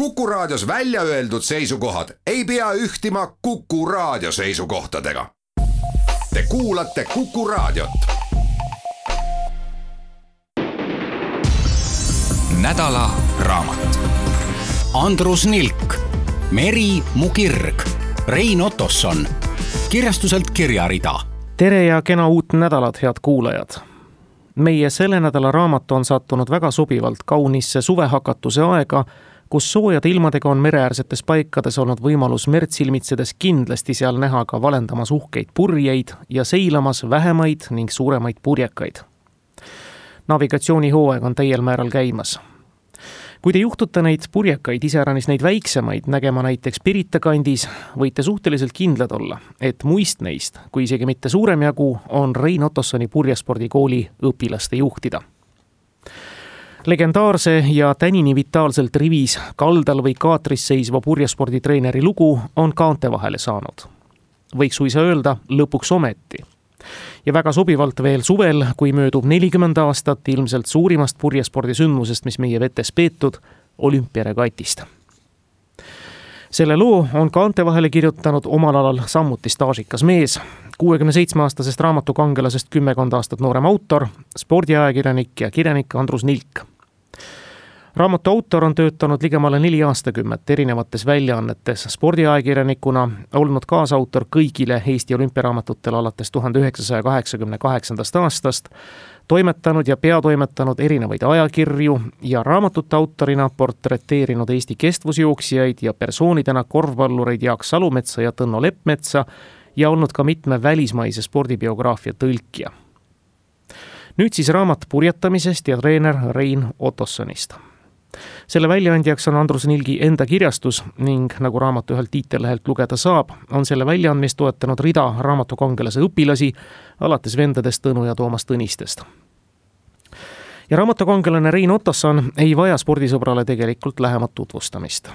Kuku Raadios välja öeldud seisukohad ei pea ühtima Kuku Raadio seisukohtadega. Te kuulate Kuku Raadiot. Nädala raamat. Andrus Nilk, Meri mu kirg, Rein Otosson, kirjastuselt Kirjarida. Tere ja kena uut nädalat, head kuulajad. Meie selle nädala raamat on sattunud väga sobivalt kaunisse suvehakatuse aega, kus soojade ilmadega on mereäärsetes paikades olnud võimalus merd silmitsedes kindlasti seal näha ka valendamas uhkeid purjeid ja seilamas vähemaid ning suuremaid purjekaid. Navigatsioonihooaeg on täiel määral käimas. Kui te juhtute neid purjekaid, iseäranis neid väiksemaid, nägema näiteks Pirita kandis, võite suhteliselt kindlad olla, et muist neist, kui isegi mitte suurem jagu, on Rein Otossoni purjespordikooli õpilaste juhtida. Legendaarse ja tänini vitaalselt rivis, kaldal või kaatris seisva purjesporditreeneri lugu on kaante vahele saanud. Võiks suisa öelda lõpuks ometi. Ja väga sobivalt veel suvel, kui möödub 40 aastat ilmselt suurimast purjespordisündmusest, mis meie vetes peetud, olümpiaregatist. Selle loo on kaante vahele kirjutanud omal alal samuti staažikas mees, 67-aastasest raamatukangelasest 10 aastat noorem autor, spordiajakirjanik ja kirjanik Andrus Nilk. Raamatu autor on töötanud ligemale 4 aastakümmet erinevates väljaannetes spordiajakirjanikuna, olnud kaasautor kõigile Eesti olümpiaraamatutele alates 1988. aastast, toimetanud ja peatoimetanud erinevaid ajakirju ja raamatute autorina portreteerinud Eesti kestvusjooksijaid ja persoonidena korvpallureid Jaak Salumetsa ja Tõnno Leppmetsa ja olnud ka mitme välismaise spordibiograafia tõlkija. Nüüd siis raamat purjetamisest ja treener Rein Otossonist. Selle väljaandjaks on Andrus Nilgi enda kirjastus ning nagu raamatu ühelt tiitellehelt lugeda saab, on selle väljaandmist toetanud rida raamatukangelase õpilasi, alates vendadest Tõnu ja Toomas Tõnistest. Ja raamatukangelane Rein Otosson ei vaja spordisõbrale tegelikult lähemat tutvustamist.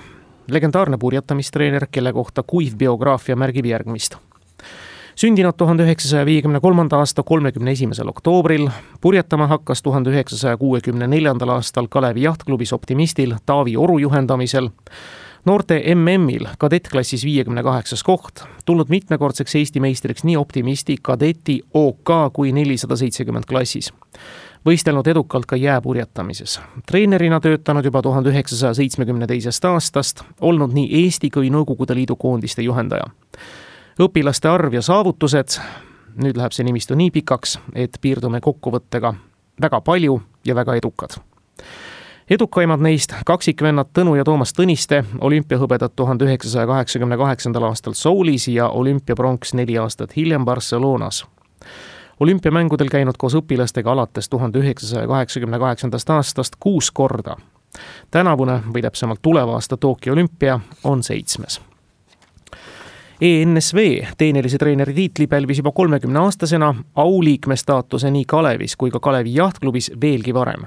Legendaarne purjetamistreener, kelle kohta kuiv biograafia märgib järgmist. Sündinud 1953. aasta 31. oktoobril, purjetama hakkas 1964. aastal Kalevi jahtklubis Optimistil Taavi Oru juhendamisel, noorte MM-il kadettklassis 58. koht, tulnud mitmekordseks Eesti meistriks nii Optimisti, kadeti, OK kui 470 klassis. Võistelnud edukalt ka jääpurjetamises. Treenerina töötanud juba 1972. aastast, olnud nii Eesti kui Nõukogude Liidu koondiste juhendaja. Õpilaste arv ja saavutused, nüüd läheb see nimistu nii pikaks, et piirdume kokkuvõttega väga palju ja väga edukad. Edukaimad neist kaksikvennad Tõnu ja Toomas Tõniste, olümpiahõbedad 1988. aastal Soulis ja olümpiapronks 4 aastat hiljem Barcelonas. Olümpiamängudel käinud koos õpilastega alates 1988. aastast 6 korda. Tänavune või täpsemalt tuleva aasta Tokyo olümpia on 7. ENSV teenelise treeneri tiitli pälvis juba 30-aastasena auliikme staatuse nii Kalevis kui ka Kalevi jahtklubis veelgi varem.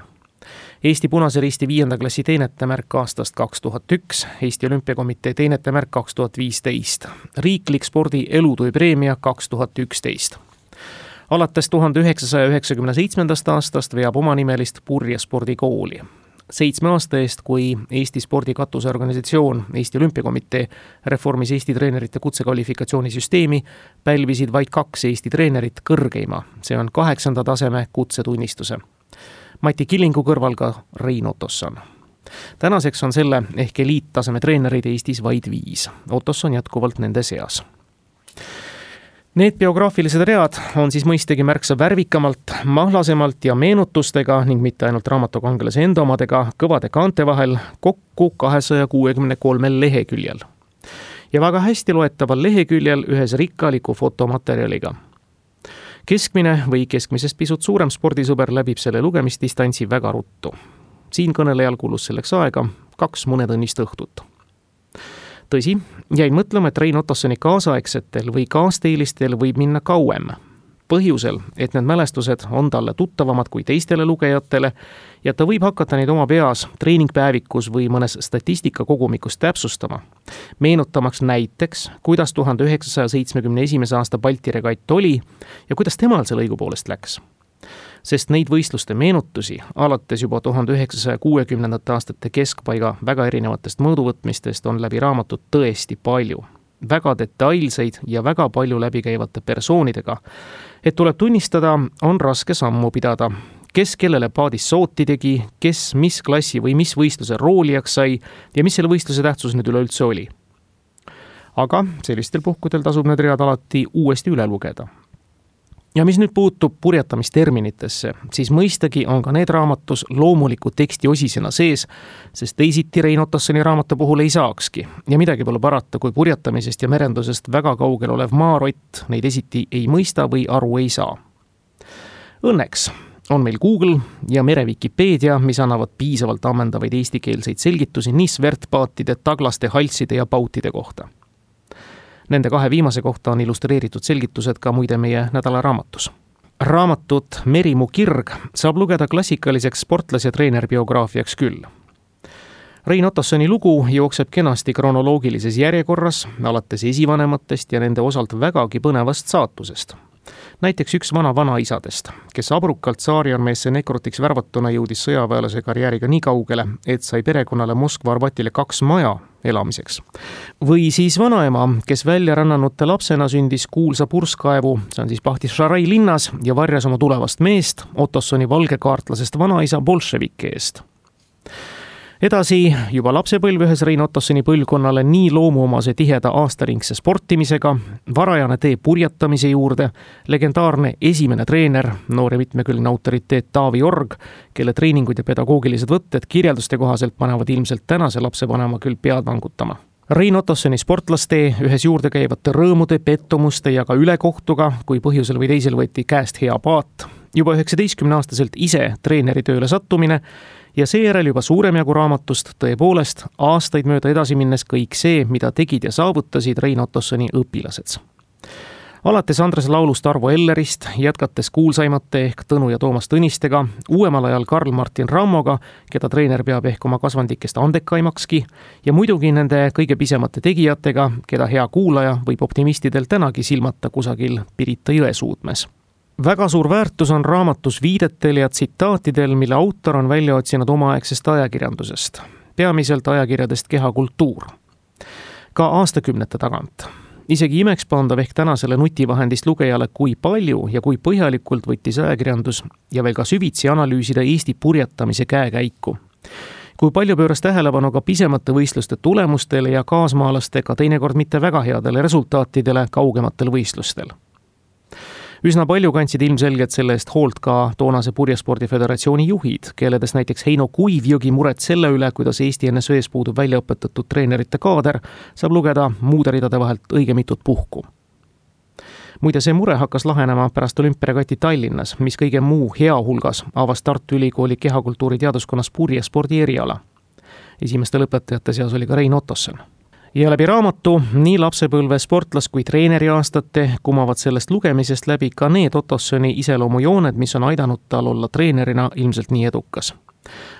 Eesti Punase Risti 5. klassi teenetemärk aastast 2001, Eesti Olümpiakomitee teenetemärk 2015, riiklik spordi elutöö preemia 2011. Alates 1997. aastast veab omanimelist purjespordikooli. 7 aasta eest, kui Eesti spordi katuseorganisatsioon Eesti Olümpiakomitee reformis Eesti treenerite kutsekvalifikatsioonisüsteemi, pälvisid vaid 2 Eesti treenerit kõrgeima, see on 8. taseme kutsetunnistuse. Mati Killingu kõrval ka Rein Otosson. Tänaseks on selle ehk eliittaseme treenerid Eestis vaid 5. Otosson jätkuvalt nende seas. Need biograafilised read on siis mõistagi märksa värvikamalt, mahlasemalt ja meenutustega ning mitte ainult raamatukangelase enda omadega kõvade kaante vahel kokku 263 leheküljel. Ja väga hästi loetaval leheküljel ühes rikkaliku fotomaterjaliga. Keskmine või keskmisest pisut suurem spordisõber läbib selle lugemisdistantsi väga ruttu. Siin kõnelejal kulus selleks aega 2 mõnetunnist õhtut. Tõsi, jäin mõtlema, et Rein Otossoni kaasaegsetel või kaasteelistel võib minna kauem. Põhjusel, et need mälestused on talle tuttavamad kui teistele lugejatele ja ta võib hakata neid oma peas treeningpäevikus või mõnes statistikakogumikus täpsustama. Meenutamaks näiteks, kuidas 1971. aasta Balti regatt oli ja kuidas temal selle õigupoolest läks. Sest neid võistluste meenutusi alates juba 1960. aastate keskpaiga väga erinevatest mõõduvõtmistest on läbi raamatut tõesti palju. Väga detailseid ja väga palju läbikäivate persoonidega, et tuleb tunnistada, on raske sammu pidada. Kes kellele paadis sooti tegi, kes mis klassi või mis võistluse roolijaks sai ja mis selle võistluse tähtsus nüüd üleüldse oli. Aga sellistel puhkudel tasub need read alati uuesti üle lugeda. Ja mis nüüd puutub purjetamisterminitesse, siis mõistagi on ka need raamatus loomuliku teksti osisena sees, sest teisiti Rein Ottossoni raamatu puhul ei saakski. Ja midagi pole parata, kui purjetamisest ja merendusest väga kaugel olev maarott neid esiti ei mõista või aru ei saa. Õnneks on meil Google ja merevikipeedia, mis annavad piisavalt ammendavaid eestikeelseid selgitusi nii svertpaatide, taglaste, halside ja pautide kohta. Nende kahe viimase kohta on illustreeritud selgitused ka muide meie nädala raamatus. Raamatut Meri mu kirg saab lugeda klassikaliseks sportlas- ja treenerbiograafiaks küll. Rein Ottossoni lugu jookseb kenasti kronoloogilises järjekorras, alates esivanematest ja nende osalt vägagi põnevast saatusest. Näiteks üks vanaisadest, kes abrukalt tsaariarmeesse nekrutiks värvatuna jõudis sõjaväelase karjääriga nii kaugele, et sai perekonnale Moskva Arbatile 2 maja elamiseks. Või siis vanaema, kes välja rännanute lapsena sündis kuulsa purskkaevu, see on siis Bahtissarai linnas ja varjas oma tulevast meest, Ottossoni valgekaartlasest vanaisa bolševike eest. Edasi juba lapsepõlv ühes Rein Ottossoni põlvkonnale nii loomuomase tiheda aastaringse sportimisega, varajane tee purjetamise juurde, legendaarne esimene treener, noor ja mitmekülgne autoriteet Taavi Org, kelle treeningud ja pedagoogilised võtted kirjelduste kohaselt panevad ilmselt tänase lapsevanema küll pead vangutama. Rein Ottossoni sportlastee ühes juurde käivate rõõmude, pettumuste ja ka ülekohtuga, kui põhjusel või teisel võeti käest hea paat, juba 19-aastaselt ise treeneri tööle sattumine ja seejärel juba suurem jagu raamatust tõepoolest aastaid mööda edasi minnes kõik see, mida tegid ja saavutasid Rein Ottossoni õpilased. Alates Andres Laulust Arvo Ellerist, jätkates kuulsaimate ehk Tõnu ja Toomas Tõnistega, uuemal ajal Karl Martin Rammoga, keda treener peab ehk oma kasvandikest andekaimakski, ja muidugi nende kõige pisemate tegijatega, keda hea kuulaja võib optimistidel tänagi silmata kusagil Pirita jõe suudmes. Väga suur väärtus on raamatus viidetel ja tsitaatidel, mille autor on välja otsinud omaaegsest ajakirjandusest, peamiselt ajakirjadest Kehakultuur. Ka aastakümnete tagant. Isegi imekspandav ehk tänasele nutivahendist lugejale, kui palju ja kui põhjalikult võttis ajakirjandus ja veel ka süvitsi analüüsida Eesti purjetamise käekäiku. Kui palju pööras tähelepanu ka pisemate võistluste tulemustele ja kaasmaalastega teinekord mitte väga headele resultaatidele kaugematel võistlustel. Üsna palju kandsid ilmselgelt selle eest hoolt ka toonase Purjespordiföderatsiooni juhid, kelledes näiteks Heino Kuivjõgi muret selle üle, kuidas Eesti NSV-s puudub väljaõpetatud treenerite kaader, saab lugeda muude ridade vahelt õige mitut puhku. Muide, see mure hakkas lahenema pärast olümpiaregati Tallinnas, mis kõige muu hea hulgas avas Tartu Ülikooli kehakultuuri teaduskonnas purjespordi eriala. Esimeste lõpetajate seas oli ka Rein Ottosson. Ja läbi raamatu, nii lapsepõlve sportlas kui treeneri aastate kumavad sellest lugemisest läbi ka need Ottossoni iseloomujooned, mis on aidanud tal olla treenerina ilmselt nii edukas.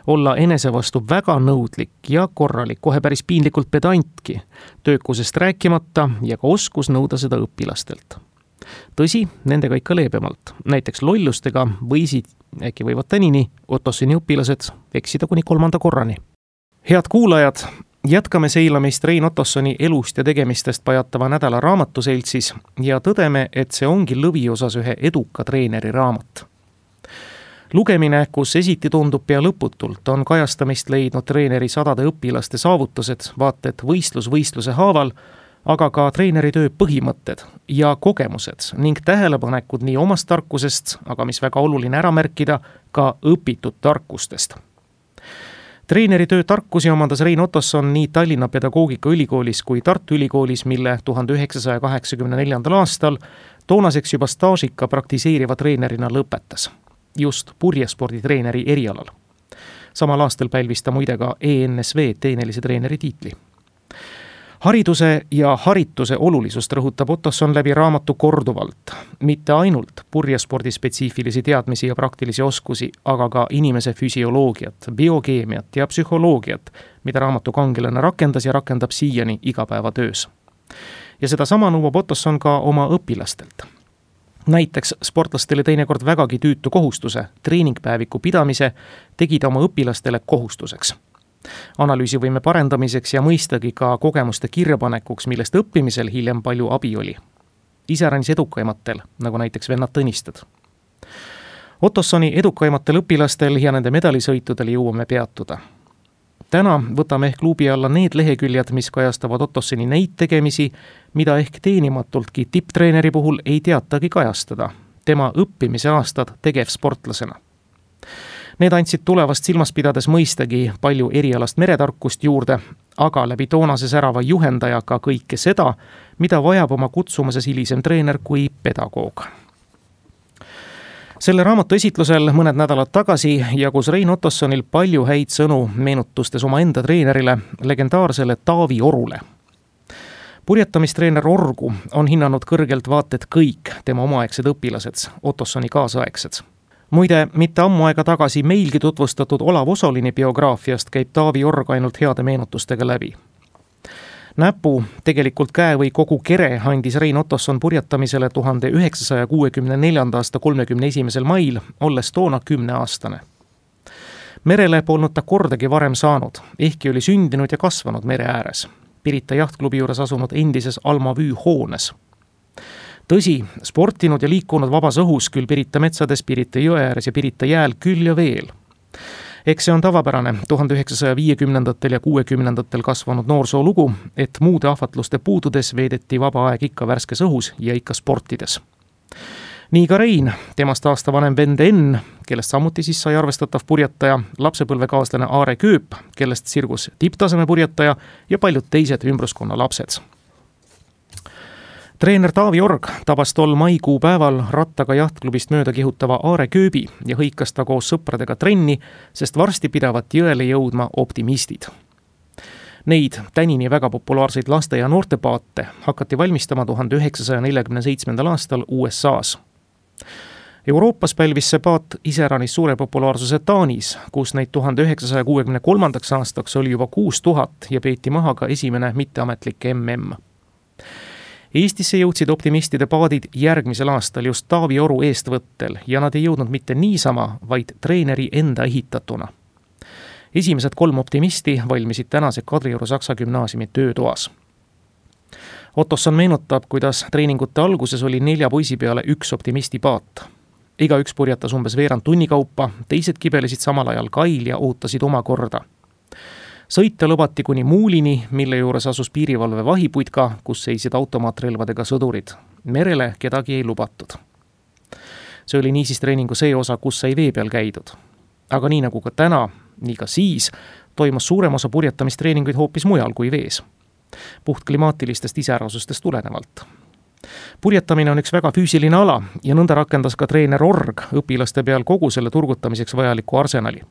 Olla enese vastu väga nõudlik ja korralik, kohe päris piinlikult pedantki, töökusest rääkimata ja ka oskus nõuda seda õpilastelt. Tõsi, nendega ikka leebemalt. Näiteks lollustega äkki võivad tänini Ottossoni õpilased eksida kuni 3. korrani. Head kuulajad, jätkame seilamist Rein Ottossoni elust ja tegemistest pajatava nädala raamatuseltsis ja tõdeme, et see ongi lõviosas ühe eduka treeneri raamat. Lugemine, kus esiti tundub pea lõputult, on kajastamist leidnud treeneri sadade õpilaste saavutused, vaated võistluse haaval, aga ka treeneri töö põhimõtted ja kogemused ning tähelepanekud nii omast tarkusest, aga mis väga oluline ära märkida, ka õpitud tarkustest. Treeneri töö tarkusi omandas Rein Ottosson nii Tallinna Pedagoogikaülikoolis kui Tartu Ülikoolis, mille 1984. aastal toonaseks juba staažika praktiseeriva treenerina lõpetas, just purjesporditreeneri erialal. Samal aastal pälvis ta muide ka ENSV teenelise treeneri tiitli. Hariduse ja harituse olulisust rõhutab Ottosson läbi raamatu korduvalt, mitte ainult purjespordi spetsiifilisi teadmisi ja praktilisi oskusi, aga ka inimese füsioloogiat, biokeemiat ja psühholoogiat, mida raamatu kangelane rakendas ja rakendab siiani igapäevatöös. Ja seda sama nõuab Ottosson ka oma õpilastelt. Näiteks sportlastele teinekord vägagi tüütu kohustuse, treeningpäeviku pidamise, tegi ta oma õpilastele kohustuseks. Analüüsivõime parendamiseks ja mõistagi ka kogemuste kirjapanekuks, millest õppimisel hiljem palju abi oli. Iseäranis edukaimatel, nagu näiteks vennad Tõnistad. Ottossoni edukaimatel õpilastel ja nende medalisõitudel jõuame peatuda. Täna võtame ehk klubi alla need leheküljed, mis kajastavad Ottossoni neid tegemisi, mida ehk teenimatultki tipptreeneri puhul ei teatagi kajastada, tema õppimise aastad tegevsportlasena. Need andsid tulevast silmas pidades mõistagi palju erialast meretarkust juurde, aga läbi toonase särava juhendaja ka kõike seda, mida vajab oma kutsumuses hilisem treener kui pedagoog. Selle raamatu esitlusel mõned nädalad tagasi jagus Rein Ottossonil palju häid sõnu meenutustes oma enda treenerile, legendaarsele Taavi Orule. Purjetamistreener Orgu on hinnanud kõrgelt vaated kõik tema omaaegsed õpilased, Ottossoni kaasaegsed. Muide, mitte ammu aega tagasi meilgi tutvustatud Olav Osolini biograafiast käib Taavi Org ainult heade meenutustega läbi. Näpu, tegelikult käe või kogu kere andis Rein Ottosson purjetamisele 1964. aasta 31. mail, olles toona 10-aastane. Merele polnud ta kordagi varem saanud, ehkki oli sündinud ja kasvanud mere ääres, Pirita jahtklubi juures asunud endises Alma Vüü hoones. Tõsi, sportinud ja liikunud vabas õhus küll Pirita metsades, Pirita jõe ääres ja Pirita jääl küll ja veel. Eks see on tavapärane 1950. ja 60. kasvanud noorsoo lugu, et muude ahvatluste puududes veedeti vaba aeg ikka värskes õhus ja ikka sportides. Nii ka Rein, temast aasta vanem vend Enn, kellest samuti siis sai arvestatav purjetaja, lapsepõlvekaaslane Aare Kööp, kellest sirgus tipptaseme purjetaja ja paljud teised ümbruskonna lapsed. Treener Taavi Org tabas tol maikuu päeval rattaga jahtklubist mööda kihutava Aare Kööbi ja hõikas ta koos sõpradega trenni, sest varsti pidavat jõele jõudma optimistid. Neid tänini väga populaarseid laste- ja noortepaate hakati valmistama 1947. aastal USA-s. Euroopas pälvis see paat iseäranis suure populaarsuse Taanis, kus neid 1963. aastaks oli juba 6000 ja peeti maha ka esimene mitteametlik MM. Eestisse jõudsid optimistide paadid järgmisel aastal just Taavi Oru eestvõttel ja nad ei jõudnud mitte niisama, vaid treeneri enda ehitatuna. Esimesed 3 optimisti valmisid tänase Kadrioru Saksa gümnaasiumi töötoas. Ottosson meenutab, kuidas treeningute alguses oli 4 poisi peale 1 optimisti paat. Igaüks purjetas umbes veerand tunni kaupa, teised kibelesid samal ajal kail ja ootasid oma korda. Sõita lubati kuni Muulini, mille juures asus piirivalve vahiputka, kus seisid automaatrelvadega sõdurid. Merele kedagi ei lubatud. See oli niisiis treeningu see osa, kus sai vee peal käidud. Aga nii nagu ka täna, nii ka siis, toimus suurem osa purjetamistreeninguid hoopis mujal kui vees. Puhtklimaatilistest iseärasustest tulenevalt. Purjetamine on üks väga füüsiline ala ja nõnda rakendas ka treener Org õpilaste peal kogu selle turgutamiseks vajaliku arsenali.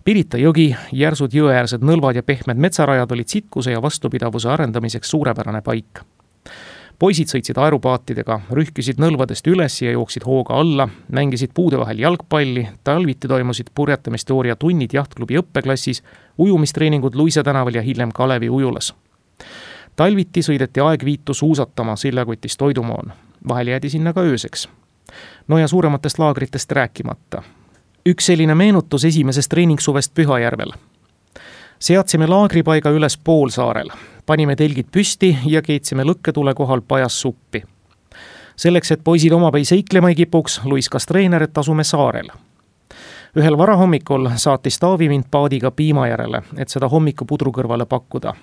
Pirita jõgi, järsud jõeäärsed nõlvad ja pehmed metsarajad olid sitkuse ja vastupidavuse arendamiseks suurepärane paik. Poisid sõitsid aerupaatidega, rühkisid nõlvadest üles ja jooksid hooga alla, mängisid puude vahel jalgpalli, talviti toimusid purjetamisteooria tunnid jahtklubi õppeklassis, ujumistreeningud Luisa tänaval ja hiljem Kalevi ujulas. Talviti sõideti aegviitu suusatama Siljakotis toidumoon. Vahel jäädi sinna ka ööseks. No ja suurematest laagritest rääkimata. Üks selline meenutus esimesest treeningsuvest Pühajärvel. Seadsime laagripaiga üles Poolsaarel. Panime telgid püsti ja keetsime lõkketule kohal pajas suppi. Selleks, et poisid omapäi seiklema ei kipuks, luiskas treener, et asume saarel. Ühel varahommikul saatis Taavi mind paadiga piima järele, et seda hommikupudru kõrvale pakkuda.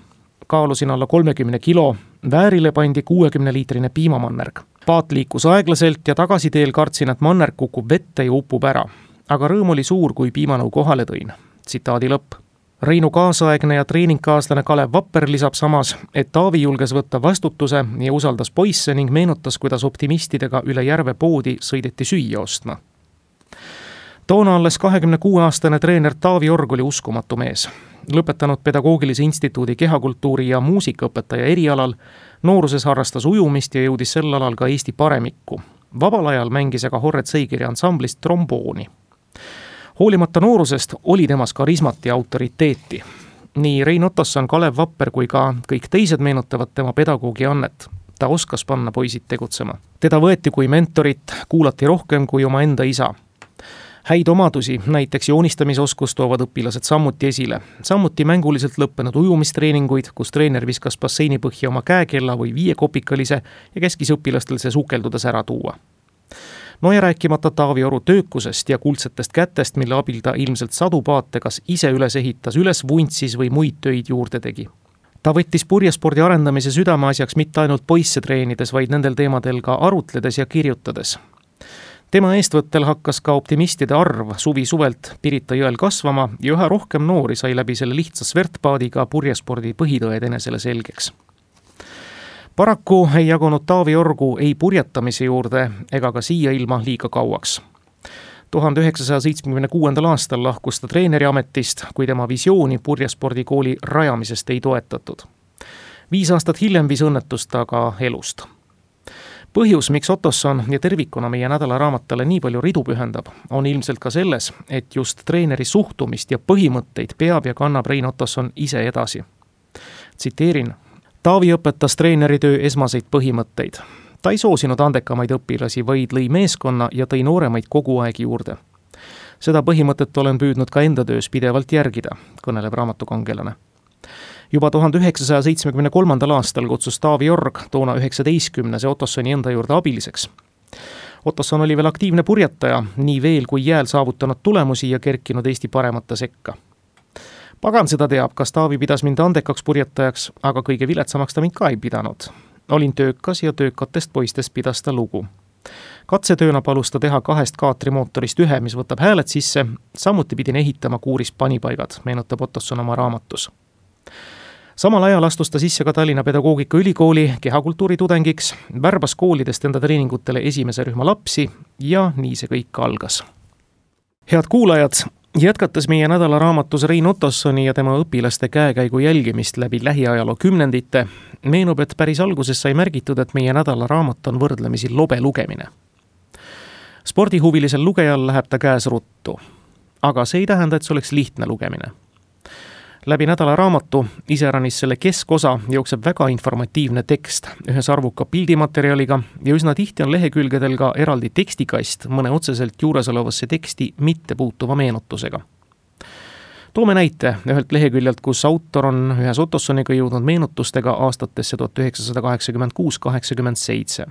Kaalusin alla 30 kilo, väärile pandi 60-liitrine piimamannerg. Paat liikus aeglaselt ja tagasiteel kartsin, et mannerg kukub vette ja upub ära. Aga rõõm oli suur, kui piimanõu kohale tõin. Tsitaadi lõpp. Reinu kaasaegne ja treeningkaaslane Kalev Vapper lisab samas, et Taavi julges võtta vastutuse ja usaldas poisse ning meenutas, kuidas optimistidega üle järve poodi sõideti süüa ostma. Toona alles 26-aastane treener Taavi Org oli uskumatu mees. Lõpetanud Pedagoogilise instituudi kehakultuuri ja muusikaõpetaja erialal, nooruses harrastas ujumist ja jõudis sel alal ka Eesti paremikku. Vabal ajal mängis aga Horret Seigiri ansamblist trombooni. Hoolimata noorusest oli temas karismat ja autoriteeti. Nii Rein Ottosson, Kalev Vapper kui ka kõik teised meenutavad tema pedagoogi annet. ta oskas panna poisid tegutsema. Teda võeti kui mentorit, kuulati rohkem kui oma enda isa. Häid omadusi, näiteks joonistamisoskust toovad õpilased samuti esile. Samuti mänguliselt lõppenud ujumistreeninguid, kus treener viskas basseini põhja oma käekella või 5-kopikalise ja käskis õpilastel see sukeldudes ära tuua. No ja rääkimata Taavi Oru töökusest ja kuldsetest kätest, mille abil ta ilmselt sadu paate kas ise üles ehitas, üles vuntsis või muid töid juurde tegi. Ta võttis purjespordi arendamise südameasjaks mitte ainult poisse treenides, vaid nendel teemadel ka arutledes ja kirjutades. Tema eestvõttel hakkas ka optimistide arv suvi-suvelt Pirita jõel kasvama ja üha rohkem noori sai läbi selle lihtsa svertpaadiga purjespordi põhitõed enesele selgeks. Paraku ei jagunud Taavi Orgu ei purjetamise juurde ega ka siia ilma liiga kauaks. 1976. aastal lahkus ta treeneri ametist, kui tema visiooni purjespordikooli rajamisest ei toetatud. 5 aastat hiljem viis õnnetust aga elust. Põhjus, miks Ottosson ja tervikuna meie nädalaraamatale nii palju ridu pühendab, on ilmselt ka selles, et just treeneri suhtumist ja põhimõtteid peab ja kannab Rein Ottosson ise edasi. Tsiteerin: Taavi õpetas treeneritöö esmaseid põhimõtteid. Ta ei soosinud andekamaid õpilasi, vaid lõi meeskonna ja tõi nooremaid kogu aeg juurde. Seda põhimõtet olen püüdnud ka enda töös pidevalt järgida, kõneleb raamatukangelane. Juba 1973. aastal kutsus Taavi Org, toona 19. Ottossoni enda juurde abiliseks. Ottosson oli veel aktiivne purjetaja, nii veel kui jääl saavutanud tulemusi ja kerkinud Eesti paremate sekka. Pagan seda teab, kas Taavi pidas mind andekaks purjetajaks, aga kõige viletsamaks ta mind ka ei pidanud. Olin töökas ja töökatest poistest pidas ta lugu. Katsetööna palus ta teha 2 kaatrimootorist 1, mis võtab hääled sisse, samuti pidin ehitama kuuris panipaigad, meenutab Ottosson oma raamatus. Samal ajal astus ta sisse ka Tallinna Pedagoogikaülikooli kehakultuuri tudengiks, värbas koolidest enda treeningutele esimese rühma lapsi ja nii see kõik algas. Head kuulajad, jätkates meie nädalaraamatus Rein Ottossoni ja tema õpilaste käekäigu jälgimist läbi lähiajaloo kümnendite, meenub, et päris alguses sai märgitud, et meie nädalaraamat on võrdlemisi lobe lugemine. Spordihuvilisel lugejal läheb ta käes ruttu, aga see ei tähenda, et see oleks lihtne lugemine. Läbi nädalaraamatu, iseäranis selle keskosa, jookseb väga informatiivne tekst ühes arvuka pildimaterjaliga ja üsna tihti on lehekülgedel ka eraldi tekstikast mõne otseselt juuresolevasse teksti mitte puutuva meenutusega. Toome näite ühelt leheküljelt, kus autor on ühes Ottossoniga jõudnud meenutustega aastatesse 1986-87.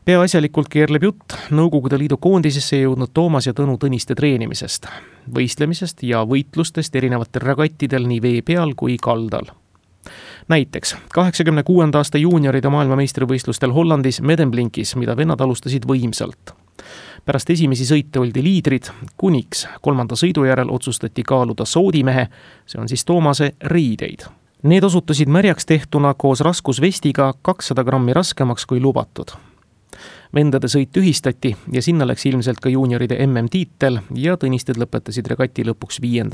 Peaasjalikult keerleb jutt Nõukogude Liidu koondisesse jõudnud Toomas ja Tõnu Tõniste treenimisest, võistlemisest ja võitlustest erinevatel regattidel nii vee peal kui kaldal. Näiteks 86. aasta juunioride maailmameistrivõistlustel Hollandis Medemblinkis, mida vennad alustasid võimsalt. Pärast esimesi sõite oldi liidrid, kuniks 3. sõidu järel otsustati kaaluda soodimehe, see on siis Toomase riideid. Need osutusid märjaks tehtuna koos raskusvestiga 200 grammi raskemaks kui lubatud. Vendade sõit tühistati ja sinna läks ilmselt ka juunioride MM-tiitel ja Tõnisted lõpetasid regati lõpuks 5.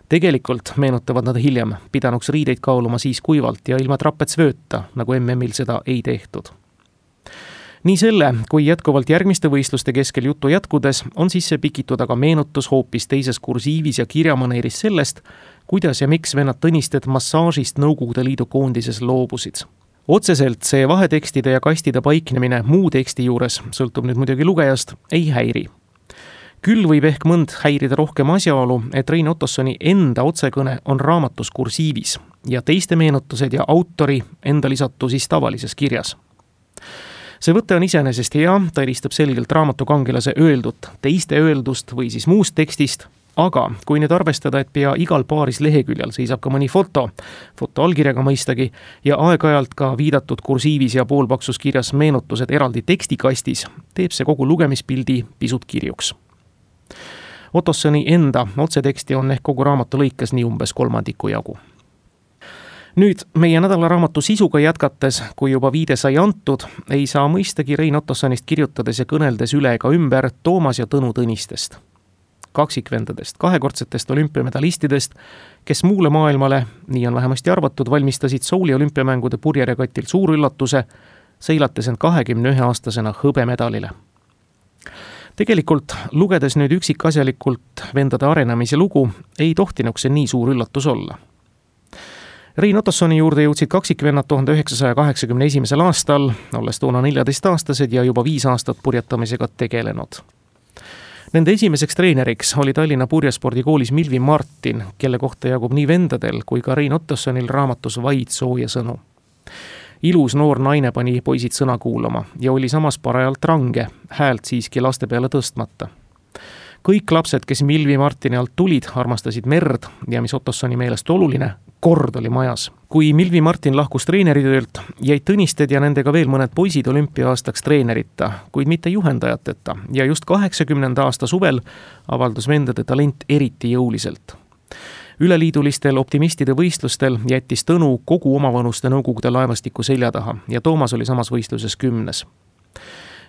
Tegelikult, meenutavad nad hiljem, pidanuks riideid kaaluma siis kuivalt ja ilma trapetsvööta, nagu MM-il seda ei tehtud. Nii selle, kui jätkuvalt järgmiste võistluste keskel jutu jätkudes, on sisse pikitud aga meenutus hoopis teises kursiivis ja kirjamaneeris sellest, kuidas ja miks vennad Tõnisted massaažist Nõukogude Liidu koondises loobusid. Otseselt see vahetekstide ja kastide paiknemine muu teksti juures, sõltub nüüd muidugi lugejast, ei häiri. Küll võib ehk mõnd häirida rohkem asjaolu, et Rein Ottossoni enda otsekõne on raamatus kursiivis ja teiste meenutused ja autori enda lisatu siis tavalises kirjas. See võte on iseenesest hea, ta eristab selgelt raamatukangelase öeldut teiste öeldust või siis muust tekstist, aga kui nüüd arvestada, et pea igal paaris leheküljel seisab ka mõni foto allkirjaga mõistagi, ja aeg-ajalt ka viidatud kursiivis ja poolpaksus kirjas meenutused eraldi tekstikastis, teeb see kogu lugemispildi pisut kirjuks. Ottossoni enda otseteksti on ehk kogu raamatu lõikes nii umbes 3 jagu. Nüüd meie nädalaraamatu sisuga jätkates, kui juba viide sai antud, ei saa mõistagi Rein Ottossonist kirjutades ja kõneldes üle ega ümber Toomas ja Tõnu Tõnistest. Kaksikvendadest, kahekordsetest olümpiamedalistidest, kes muule maailmale, nii on vähemasti arvatud, valmistasid Souli olümpiamängude purjeregatil suur üllatuse, seilates end 21-aastasena hõbemedalile. Tegelikult, lugedes nüüd üksikasjalikult vendade arenemise lugu, ei tohtinuks see nii suur üllatus olla. Rein Ottossoni juurde jõudsid kaksikvennad 1981. aastal, olles toona 14-aastased ja juba 5 aastat purjetamisega tegelenud. Nende esimeseks treeneriks oli Tallinna Purjespordikoolis Milvi Martin, kelle kohta jagub nii vendadel kui ka Rein Ottossonil raamatus vaid sooja sõnu. Ilus noor naine pani poisid sõna kuulama ja oli samas parajalt range, häält siiski laste peale tõstmata. Kõik lapsed, kes Milvi Martini alt tulid, armastasid merd ja mis Ottossoni meelest oluline, kord oli majas. Kui Milvi Martin lahkus treeneritöölt, jäid Tõnisted ja nendega veel mõned poisid olümpia-aastaks treenerita, kuid mitte juhendajateta ja just 80. aasta suvel avaldus vendade talent eriti jõuliselt. Üleliidulistel optimistide võistlustel jättis Tõnu kogu omavanuste nõukogude laevastiku selja taha ja Toomas oli samas võistluses 10.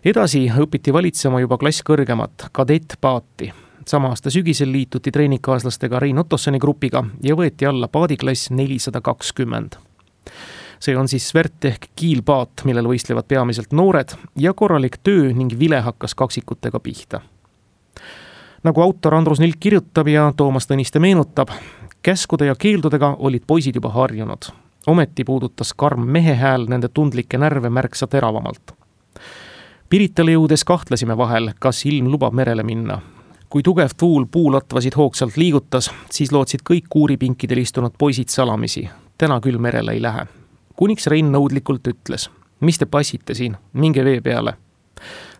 Edasi õpiti valitsema juba klass kõrgemat, kadettpaati. Sama aasta sügisel liituti treeningkaaslastega Rein Ottossoni grupiga ja võeti alla paadiklass 420. See on siis Svert ehk kiilpaat, millel võistlevad peamiselt noored ja korralik töö ning vile hakkas kaksikutega pihta. Nagu autor Andrus Nilk kirjutab ja Toomas Tõniste meenutab, käskude ja keeldudega olid poisid juba harjunud. Ometi puudutas karm mehe hääl nende tundlikke närve märksa teravamalt. Piritale jõudes kahtlesime vahel, kas ilm lubab merele minna. Kui tugev tuul puulatvasid hoogsalt liigutas, siis lootsid kõik kuuripinkidel istunud poisid salamisi. Täna küll merele ei lähe. Kuniks Rein nõudlikult ütles, mis te passite siin, minge vee peale.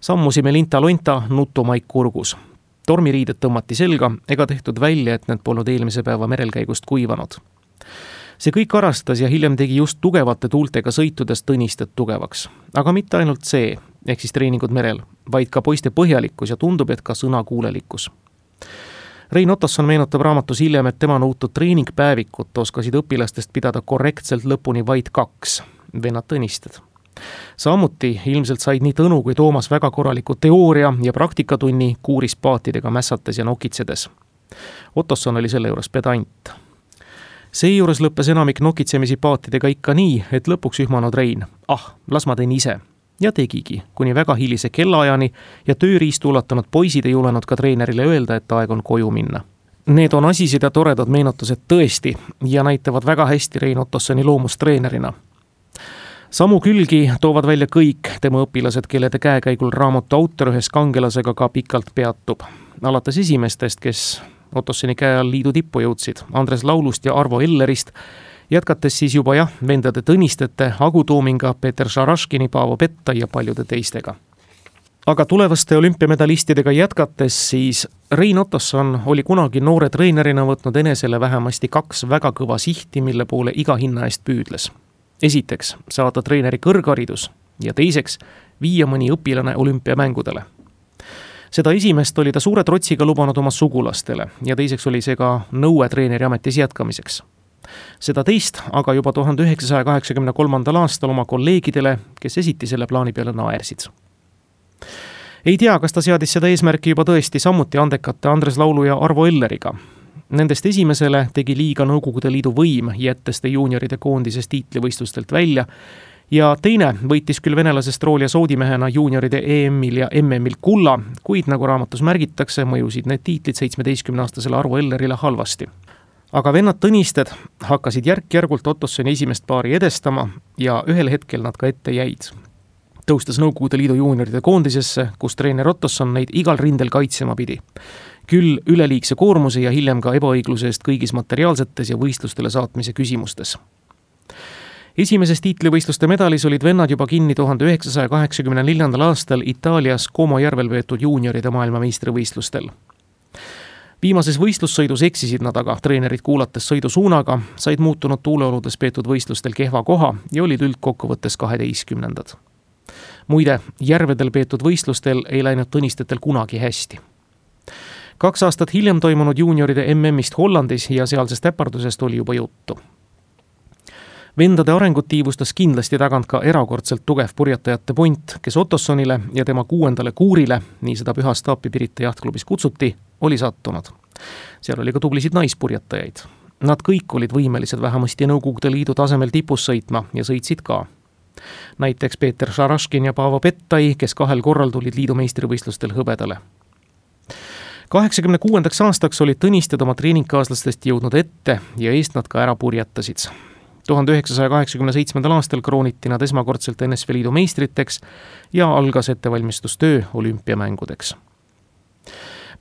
Sammusime linta-lonta, nutumaik kurgus. Tormiriided tõmmati selga ega tehtud välja, et need polnud eelmise päeva merelkäigust kuivanud. See kõik arastas ja hiljem tegi just tugevate tuultega sõitudest Tõnisted tugevaks. Aga mitte ainult see, ehk siis treeningud merel, vaid ka poiste põhjalikkus ja tundub, et ka sõnakuulelikkus. Rein Ottosson meenutab raamatus hiljem, et tema nõutud treeningpäevikut oskasid õpilastest pidada korrektselt lõpuni vaid 2, vennad Tõnisted. Samuti ilmselt said nii Tõnu kui Toomas väga korraliku teooria ja praktikatunni kuurispaatidega mässates ja nokitsedes. Ottosson oli selle juures pedant. Seejuures lõppes enamik nokitsemisi paatidega ikka nii, et lõpuks ühmanud Rein, las ma teen ise. Ja tegigi, kuni väga hilise kellaajani ja tööriistu ulatanud poisid ei julenud ka treenerile öelda, et aeg on koju minna. Need on asised ja toredad meenutused tõesti ja näitavad väga hästi Rein Ottossoni loomust treenerina. Samu külgi toovad välja kõik tema õpilased, kellede käekäigul raamatu autor ühes kangelasega ka pikalt peatub. Alates esimestest, kes Ottossoni käe all liidu tippu jõudsid, Andres Laulust ja Arvo Ellerist, jätkates siis juba vendade Tõnistete, Agu Toominga, Peeter Šaraškini, Paavo Petta ja paljude teistega. Aga tulevaste olümpiamedalistidega jätkates siis Rein Ottosson oli kunagi noore treenerina võtnud enesele vähemasti 2 väga kõva sihti, mille poole iga hinna eest püüdles. Esiteks, saada treeneri kõrgharidus ja teiseks, viia mõni õpilane olümpiamängudele. Seda esimest oli ta suure trotsiga lubanud oma sugulastele ja teiseks oli see ka nõue treeneri ametis jätkamiseks. Seda teist aga juba 1983. aastal oma kolleegidele, kes esiti selle plaani peale naersid. Ei tea, kas ta seadis seda eesmärki juba tõesti samuti andekate Andres Laulu ja Arvo Elleriga. Nendest esimesele tegi liiga Nõukogude Liidu võim, jättes ta juunioride koondisest tiitlivõistlustelt välja ja teine võitis küll venelasest Roolja soodimehena juunioride EM-il ja MM-il kulla, kuid nagu raamatus märgitakse, mõjusid need tiitlid 17-aastasele Arvo Ellerile halvasti. Aga vennad Tõnisted hakkasid järk-järgult Ottossoni esimest paari edestama ja ühel hetkel nad ka ette jäid. Tõustes Nõukogude Liidu juunioride koondisesse, kus treener Ottosson neid igal rindel kaitsema pidi. Küll üleliigse koormuse ja hiljem ka ebaõigluse eest kõigis materiaalsetes ja võistlustele saatmise küsimustes. Esimeses tiitlivõistluste medalis olid vennad juba kinni 1984. aastal Itaalias Como järvel peetud juunioride maailmameistrivõistlustel. Viimases võistlussõidus eksisid nad aga treenerid kuulates sõidusuunaga, said muutunud tuuleoludes peetud võistlustel kehva koha ja olid üldkokkuvõttes 12. Muide, järvedel peetud võistlustel ei läinud Tõnistetel kunagi hästi. 2 aastat hiljem toimunud juunioride MM-ist Hollandis ja sealsest äpardusest oli juba juttu. Vendade arengut tiivustas kindlasti tagant ka erakordselt tugev purjetajate punt, kes Ottossonile ja tema 6. kuurile, nii seda Püha Staapi Pirita jahtklubis kutsuti, oli sattunud. Seal oli ka tublisid naispurjetajaid. Nad kõik olid võimelised vähemasti Nõukogude Liidu tasemel tipus sõitma ja sõitsid ka. Näiteks Peeter Šaraškin ja Paavo Pettai, kes 2 korral tulid liidu meistrivõistlustel hõbedale. 86. aastaks olid Tõnisted oma treeningkaaslastest jõudnud ette ja eest nad ka ära purjetasid. 1987. aastal krooniti nad esmakordselt NSV Liidu meistriteks ja algas ettevalmistustöö olümpiamängudeks.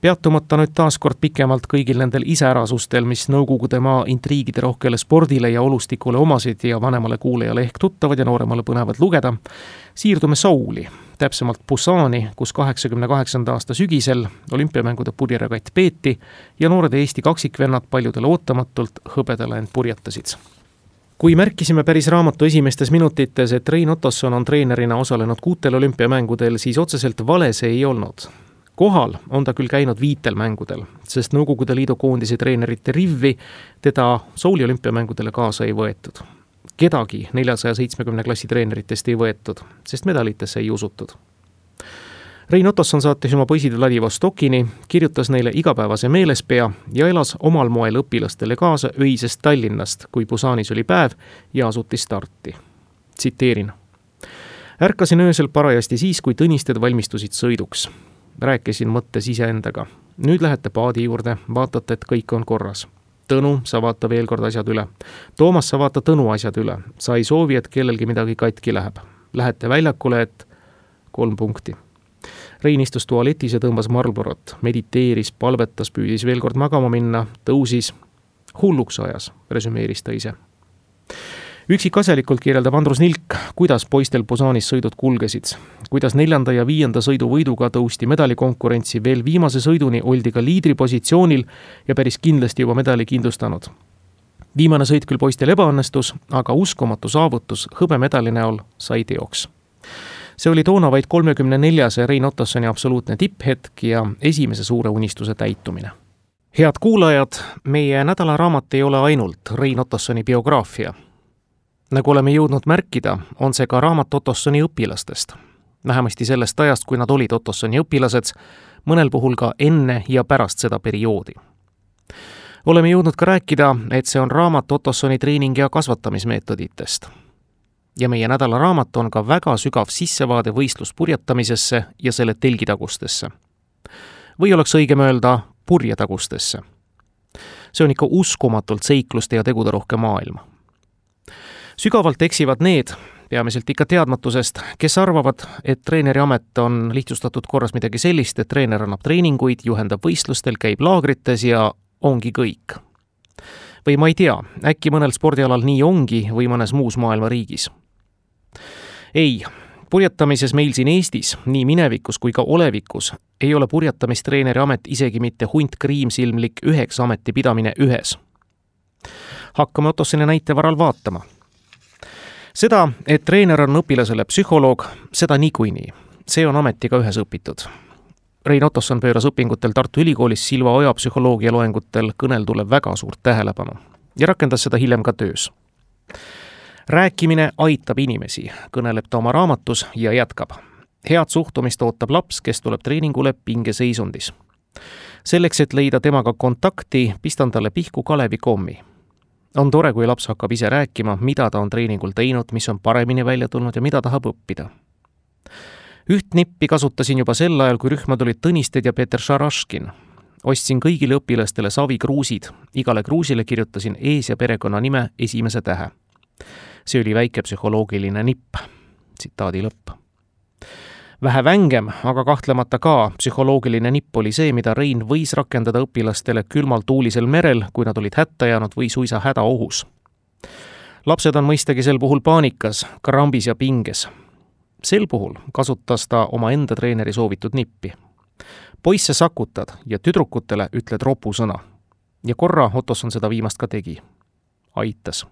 Peatumata nüüd taaskord pikemalt kõigil nendel iseärasustel, mis Nõukogude maa intriigide rohkele spordile ja olustikule omasid ja vanemale kuulajale ehk tuttavad ja nooremale põnevad lugeda, siirdume Souli, täpsemalt Busani, kus 88. aasta sügisel olümpiamängude purjeregatt peeti ja noored Eesti kaksikvennad paljudele ootamatult hõbedale end purjetasid. Kui märkisime päris raamatu esimestes minutites, et Rein Ottosson on treenerina osalenud 6 olümpiamängudel, siis otseselt vale see ei olnud. Kohal on ta küll käinud 5 mängudel, sest Nõukogude Liidu koondise treenerite rivvi teda Souli olümpiamängudele kaasa ei võetud. Kedagi 470 klassi treeneritest ei võetud, sest medalitesse ei usutud. Rein Ottosson saatis oma poisid Vladivostokini, kirjutas neile igapäevase meelespea ja elas omal moel õpilastele kaasa öisest Tallinnast, kui Busanis oli päev ja asuti starti. Tsiteerin. Ärkasin öösel parajasti siis, kui tõnisted valmistusid sõiduks. Rääkisin mõttes iseendaga. Nüüd lähete paadi juurde, vaatate, et kõik on korras. Tõnu, sa vaata veel kord asjad üle. Toomas, sa vaata Tõnu asjad üle. Sa ei soovi, et kellelgi midagi katki läheb. Lähete väljakule, et 3 punkti. Rein istus tualetis ja tõmbas Marlborot, mediteeris, palvetas, püüdis veel kord magama minna, tõusis. Hulluks ajas, resümeeris ta ise. Üksikasjalikult kirjeldab Andrus Nilk, kuidas poistel Busanis sõidud kulgesid, kuidas 4. ja 5. sõidu võiduga tõusti medalikonkurentsi, veel viimase sõiduni oldi ka liidripositsioonil ja päris kindlasti juba medali kindlustanud. Viimane sõit küll poistel ebaõnnestus, aga uskumatu saavutus hõbemedali näol sai teoks. See oli toona vaid 34. Rein Ottossoni absoluutne tipphetk ja esimese suure unistuse täitumine. Head kuulajad, meie nädalaraamat ei ole ainult Rein Ottossoni biograafia. Nagu oleme jõudnud märkida, on see ka raamat Ottossoni õpilastest. Vähemasti sellest ajast, kui nad olid Ottossoni õpilased, mõnel puhul ka enne ja pärast seda perioodi. Oleme jõudnud ka rääkida, et see on raamat Ottossoni treening- ja kasvatamismeetoditest. Ja meie nädalaraamat on ka väga sügav sissevaade võistluspurjetamisesse ja selle telgitagustesse. Või oleks õigem öelda purjetagustesse. See on ikka uskumatult seikluste ja tegude rohke maailm. Sügavalt eksivad need, peamiselt ikka teadmatusest, kes arvavad, et treeneri amet on lihtsustatud korras midagi sellist, et treener annab treeninguid, juhendab võistlustel, käib laagrites ja ongi kõik. Või ma ei tea, äkki mõnel spordialal nii ongi või mõnes muus maailma riigis. Ei, purjetamises meil siin Eestis, nii minevikus kui ka olevikus, ei ole purjetamistreeneri amet isegi mitte hunt kriimsilmlik 9 ameti pidamine ühes. Hakkame Ottossoni näite varal vaatama. Seda, et treener on õpilasele psühholoog, seda niikuinii. See on ametiga ühes õpitud. Rein Ottosson pööras õpingutel Tartu Ülikoolis Silva Oja psühholoogia loengutel kõneldule väga suurt tähelepanu ja rakendas seda hiljem ka töös. Rääkimine aitab inimesi, kõneleb ta oma raamatus ja jätkab. Head suhtumist ootab laps, kes tuleb treeningule pingeseisundis. Selleks, et leida temaga kontakti, pistan talle pihku Kalevikommi. On tore, kui laps hakkab ise rääkima, mida ta on treeningul teinud, mis on paremini välja tulnud ja mida tahab õppida. Üht nippi kasutasin juba sel ajal, kui rühmad olid Tõnisted ja Peeter Šaraškin. Ostsin kõigile õpilastele savikruusid. Igale kruusile kirjutasin ees- ja perekonna nime esimese tähe. See oli väike psühholoogiline nipp. Tsitaadi lõpp. Vähe vängem, aga kahtlemata ka psühholoogiline nipp oli see, mida Rein võis rakendada õpilastele külmal tuulisel merel, kui nad olid hätta jäänud või suisa hädaohus. Lapsed on mõistagi sel puhul paanikas, krambis ja pinges. Sel puhul kasutas ta oma enda treeneri soovitud nippi. Poisse sakutad ja tüdrukutele ütled ropusõna. Ja korra Ottosson seda viimast ka tegi. Aitas.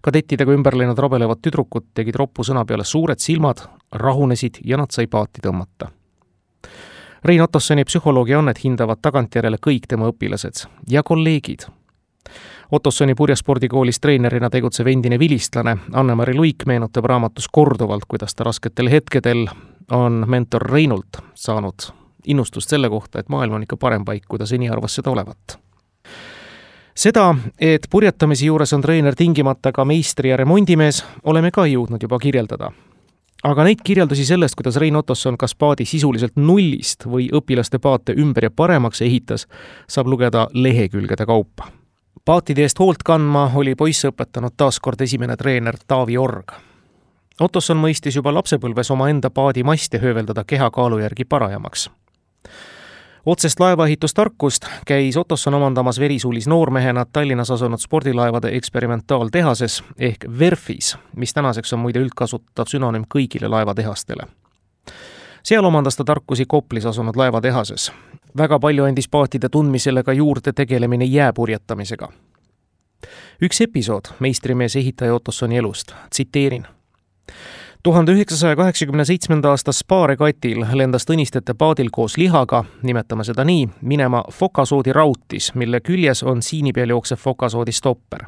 Kadettidega ümber läinud rabelevad tüdrukud tegid ropusõna peale suured silmad, rahunesid ja nad sai paati tõmmata. Rein Ottossoni psühholoogia annet hindavad tagantjärele kõik tema õpilased ja kolleegid. Ottossoni purjespordikoolis treenerina tegutsev endine vilistlane Anne-Mari Luik meenutab raamatus korduvalt, kuidas ta rasketel hetkedel on mentor Reinult saanud innustust selle kohta, et maailm on ikka parem paik, kui ta seni arvas seda olevat. Seda, et purjetamise juures on treener tingimata ka meistri ja remondimees, oleme ka jõudnud juba kirjeldada. Aga neid kirjeldusi sellest, kuidas Rein Ottosson kas paadi sisuliselt nullist või õpilaste paate ümber ja paremaks ehitas, saab lugeda lehekülgede kaupa. Paatide eest hoolt kandma oli poisse õpetanud taaskord esimene treener Taavi Org. Ottosson mõistis juba lapsepõlves oma enda paadi maste hööveldada kehakaalu järgi parajamaks. Otsest laevaehitustarkust käis Ottosson omandamas verisuulis noormehena Tallinnas asunud spordilaevade eksperimentaaltehases ehk VERFis, mis tänaseks on muide üldkasutatav sünonüüm kõigile laevatehastele. Seal omandas ta tarkusi Koplis asunud laevatehases. Väga palju andis paatide tundmisele ka juurde tegelemine jääpurjetamisega. Üks episood meistrimees ehitaja Ottossoni elust, tsiteerin. 1987. aasta Spa-regatil lendas Tõnistete paadil koos lihaga, nimetame seda nii, minema fokasoodi rautis, mille küljes on siini peal jooksev fokasoodi stopper.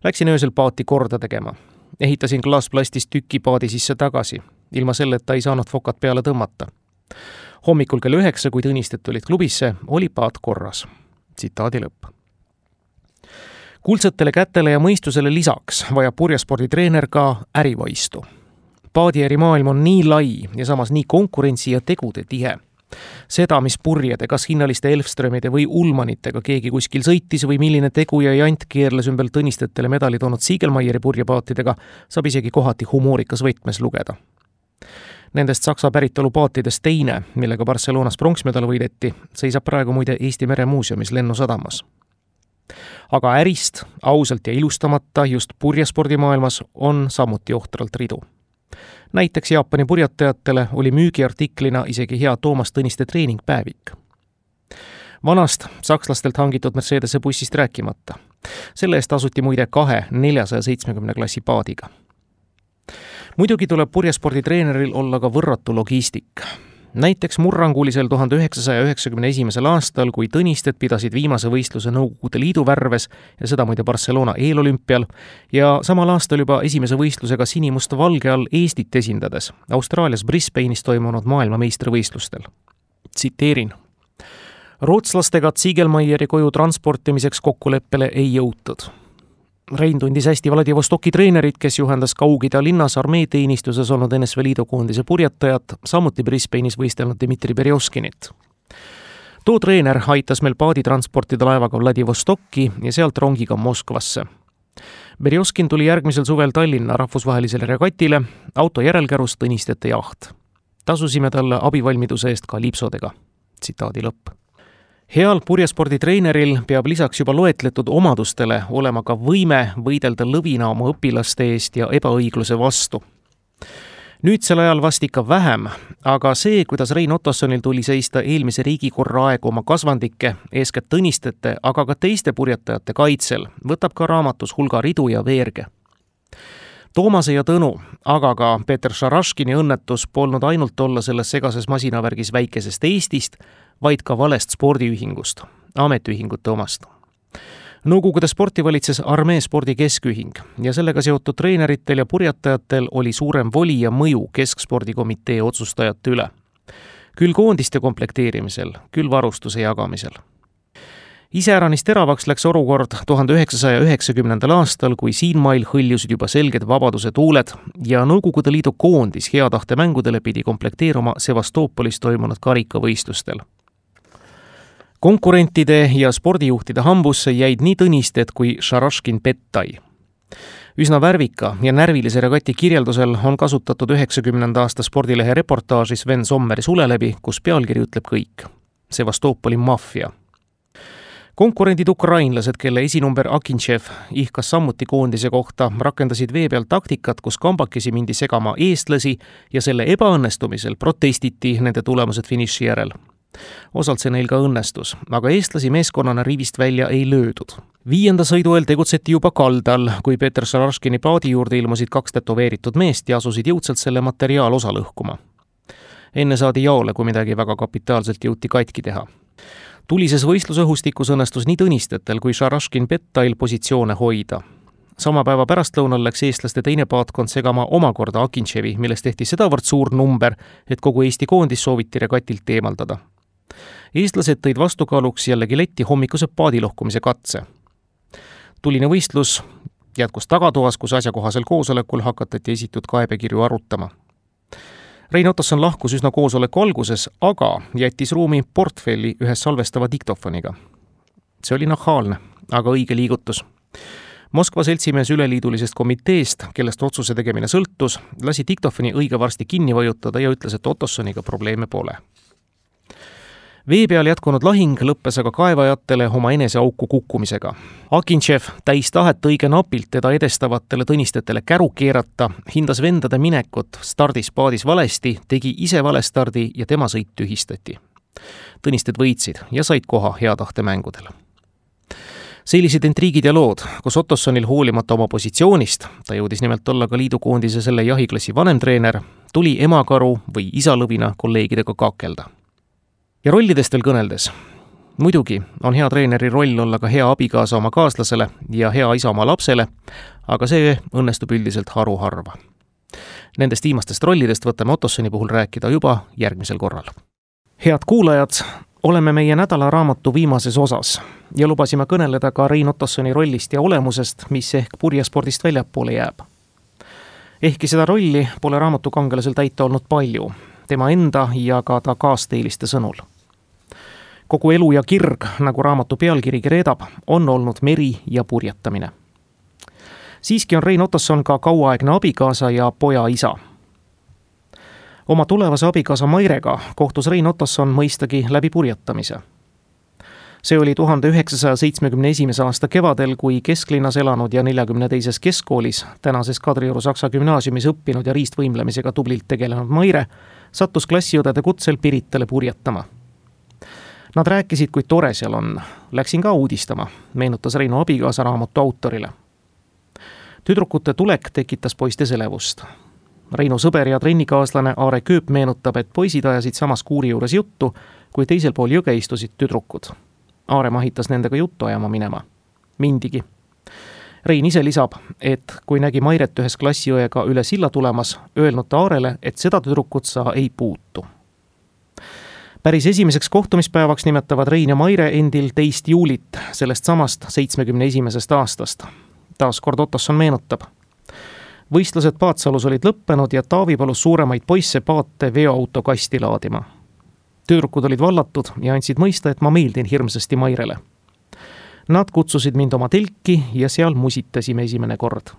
Läksin öösel paati korda tegema. Ehitasin klaasplastist tüki paadi sisse tagasi, ilma selleta ei saanud fokat peale tõmmata. Hommikul kell 9, kui Tõnisted tulid klubisse, oli paat korras. Tsitaadi lõpp. Kuldsetele kätele ja mõistusele lisaks vajab purjesporditreener ka ärivaistu. Paadiärimaailm on nii lai ja samas nii konkurentsi ja tegude tihe. Seda, mis purjede, kas hinnaliste Elfströmide või Ullmanitega keegi kuskil sõitis või milline tegu ja jant keerles ümber Tõnistetele medali toonud Siegelmeieri purjepaatidega, saab isegi kohati humoorikas võtmes lugeda. Nendest Saksa päritolu paatidest teine, millega Barcelonas pronksmedal võideti, seisab praegu muide Eesti Meremuuseumis Lennusadamas. Aga ärist, ausalt ja ilustamata just purjespordimaailmas on samuti ohtralt ridu. Näiteks Jaapani purjetajatele oli müügiartiklina isegi hea Toomas Tõniste treeningpäevik. Vanast sakslastelt hangitud Mercedese bussist rääkimata. Selle eest asuti muide 2 470 klassi paadiga. Muidugi tuleb purjesporditreeneril olla ka võrratu logistik. Näiteks murrangulisel 1991. aastal, kui Tõnisted pidasid viimase võistluse Nõukogude Liidu värves ja seda muide Barcelona eelolümpial ja samal aastal juba esimese võistlusega sinimust-valge all Eestit esindades Austraalias Brisbane'is toimunud maailmameistrivõistlustel. Tsiteerin. Rootslastega Siegelmeieri koju transportimiseks kokkuleppele ei jõutud. Rein tundis hästi Vladivostoki treenerit, kes juhendas Kaug-Ida linnas armeeteenistuses olnud NSV Liidu koondise purjetajat, samuti Brisbane'is võistelnud Dmitri Berjoskinit. Too treener aitas meil paadi transportida laevaga Vladivostokki ja sealt rongiga Moskvasse. Berjoskin tuli järgmisel suvel Tallinna rahvusvahelisele regatile, auto järelkärus Tõnistete jaht. Tasusime talle abivalmiduse eest ka lipsodega. Tsitaadi lõpp. Heal purjesporditreeneril peab lisaks juba loetletud omadustele olema ka võime võidelda lõvina oma õpilaste eest ja ebaõigluse vastu. Nüüdsel ajal vast ikka vähem, aga see, kuidas Rein Ottossonil tuli seista eelmise riigikorra aegu oma kasvandike, eeskätt Tõnistete, aga ka teiste purjetajate kaitsel, võtab ka raamatus hulga ridu ja veerge. Toomase ja Tõnu, aga ka Peter Šaraškini õnnetus polnud ainult olla selles segases masinavärgis väikesest Eestist, vaid ka valest spordiühingust, ametiühingute omast. Nõukogude sporti valitses Armee spordi keskühing ja sellega seotud treeneritel ja purjetajatel oli suurem voli ja mõju keskspordikomitee otsustajate üle. Küll koondiste komplekteerimisel, küll varustuse jagamisel. Iseäranis teravaks läks olukord 1990. aastal, kui siinmail hõljusid juba selged vabaduse tuuled ja Nõukogude Liidu koondis hea tahte mängudele pidi komplekteeruma Sevastoopolis toimunud karikavõistlustel. Konkurentide ja spordijuhtide hambusse jäid nii Tõnisted kui Šaraškin Pettai. Üsna värvika ja närvilise regati kirjeldusel on kasutatud 90. aasta spordilehe reportaažis Sven Sommeri Suleläbi, kus pealkiri ütleb kõik. Sevastoopoli maffia. Konkurendid ukrainlased, kelle esinumber Akintšev ihkas samuti koondise kohta, rakendasid vee peal taktikat, kus kambakesi mindi segama eestlasi ja selle ebaõnnestumisel protestiti nende tulemused finiši järel. Osalt see neil ka õnnestus, aga eestlasi meeskonnana rivist välja ei löödud. 5. sõidu eel tegutseti juba kaldal, kui Peter Šaraškini paadi juurde ilmusid 2 tätoveeritud meest ja asusid jõudsalt selle materiaalosa lõhkuma. Enne saadi jaole, kui midagi väga kapitaalselt jõuti katki teha. Tulises võistlusõhustikus õnnestus nii Tõnistetel kui Šaraškin Pettail positsioone hoida. Sama päeva pärastlõunal läks eestlaste teine paatkond segama omakorda Akintševi, millest tehti sedavõrd suur number, et kogu Eesti koondis sooviti regatilt eemaldada. Eestlased tõid vastukaaluks jällegi letti hommikuse paadilohkumise katse. Tuline võistlus jätkus tagatoas, kus asjakohasel koosolekul hakatati esitud kaebekirju arutama. Rein Ottosson lahkus üsna koosoleku alguses, aga jättis ruumi portfelli ühes salvestava diktofoniga. See oli nahaalne, aga õige liigutus. Moskva seltsimees üleliidulisest komiteest, kellest otsuse tegemine sõltus, lasi diktofoni õige varsti kinni vajutada ja ütles, et Ottossoniga probleeme pole. Vee peal jätkunud lahing lõppes aga kaevajatele oma eneseauku kukkumisega. Akintšev, täis tahet õige napilt teda edestavatele tõnistetele käru keerata, hindas vendade minekut stardispaadis valesti, tegi ise valestardi ja tema sõit tühistati. Tõnisted võitsid ja said koha hea tahte mängudele. Sellised intriigid ja lood, kus Ottossonil hoolimata oma positsioonist, ta jõudis nimelt olla ka liidukoondise selle jahiklassi vanemtreener, tuli emakaru või isalõvina kolleegidega kakelda. Ja rollidest veel kõneldes. Muidugi on hea treeneri roll olla ka hea abikaasa oma kaaslasele ja hea isa oma lapsele, aga see õnnestub üldiselt haruharva. Nendest viimastest rollidest võtame Ottossoni puhul rääkida juba järgmisel korral. Head kuulajad, oleme meie nädalaraamatu viimases osas ja lubasime kõneleda ka Rein Ottossoni rollist ja olemusest, mis ehk purjespordist väljapoole jääb. Ehkki seda rolli pole raamatu kangelasel täita olnud palju, tema enda ja ka ta kaasteeliste sõnul. Kogu elu ja kirg, nagu raamatu pealkirigi reedab, on olnud meri ja purjetamine. Siiski on Rein Ottosson ka kauaaegne abikaasa ja poja isa. Oma tulevase abikaasa Mairega kohtus Rein Ottosson mõistagi läbi purjetamise. See oli 1971. aasta kevadel, kui kesklinnas elanud ja 42. keskkoolis, tänases Kadrioru Saksa gümnaasiumis õppinud ja riistvõimlemisega tublilt tegelenud Maire sattus klassiõdede kutsel Piritale purjetama. Nad rääkisid, kui tore seal on. Läksin ka uudistama, meenutas Reinu abikaasa raamatu autorile. Tüdrukute tulek tekitas poistes elevust. Reinu sõber ja trennikaaslane Aare Kööp meenutab, et poisid ajasid samas kuuri juures juttu, kui teisel pool jõge istusid tüdrukud. Aare mahitas nendega juttu ajama minema. Mindigi. Rein ise lisab, et kui nägi Mairet ühes klassiõega üle silla tulemas, öelnud ta Aarele, et seda tüdrukut sa ei puutu. Päris esimeseks kohtumispäevaks nimetavad Rein ja Maire endil 2. juulit, sellest samast 71. aastast. Taas kord Ottosson meenutab. Võistlused Paatsalus olid lõppenud ja Taavi palus suuremaid poisse paate veoauto kasti laadima. Tüdrukud olid vallatud ja andsid mõista, et ma meeldin hirmsasti Mairele. Nad kutsusid mind oma telki ja seal musitasime esimene kord.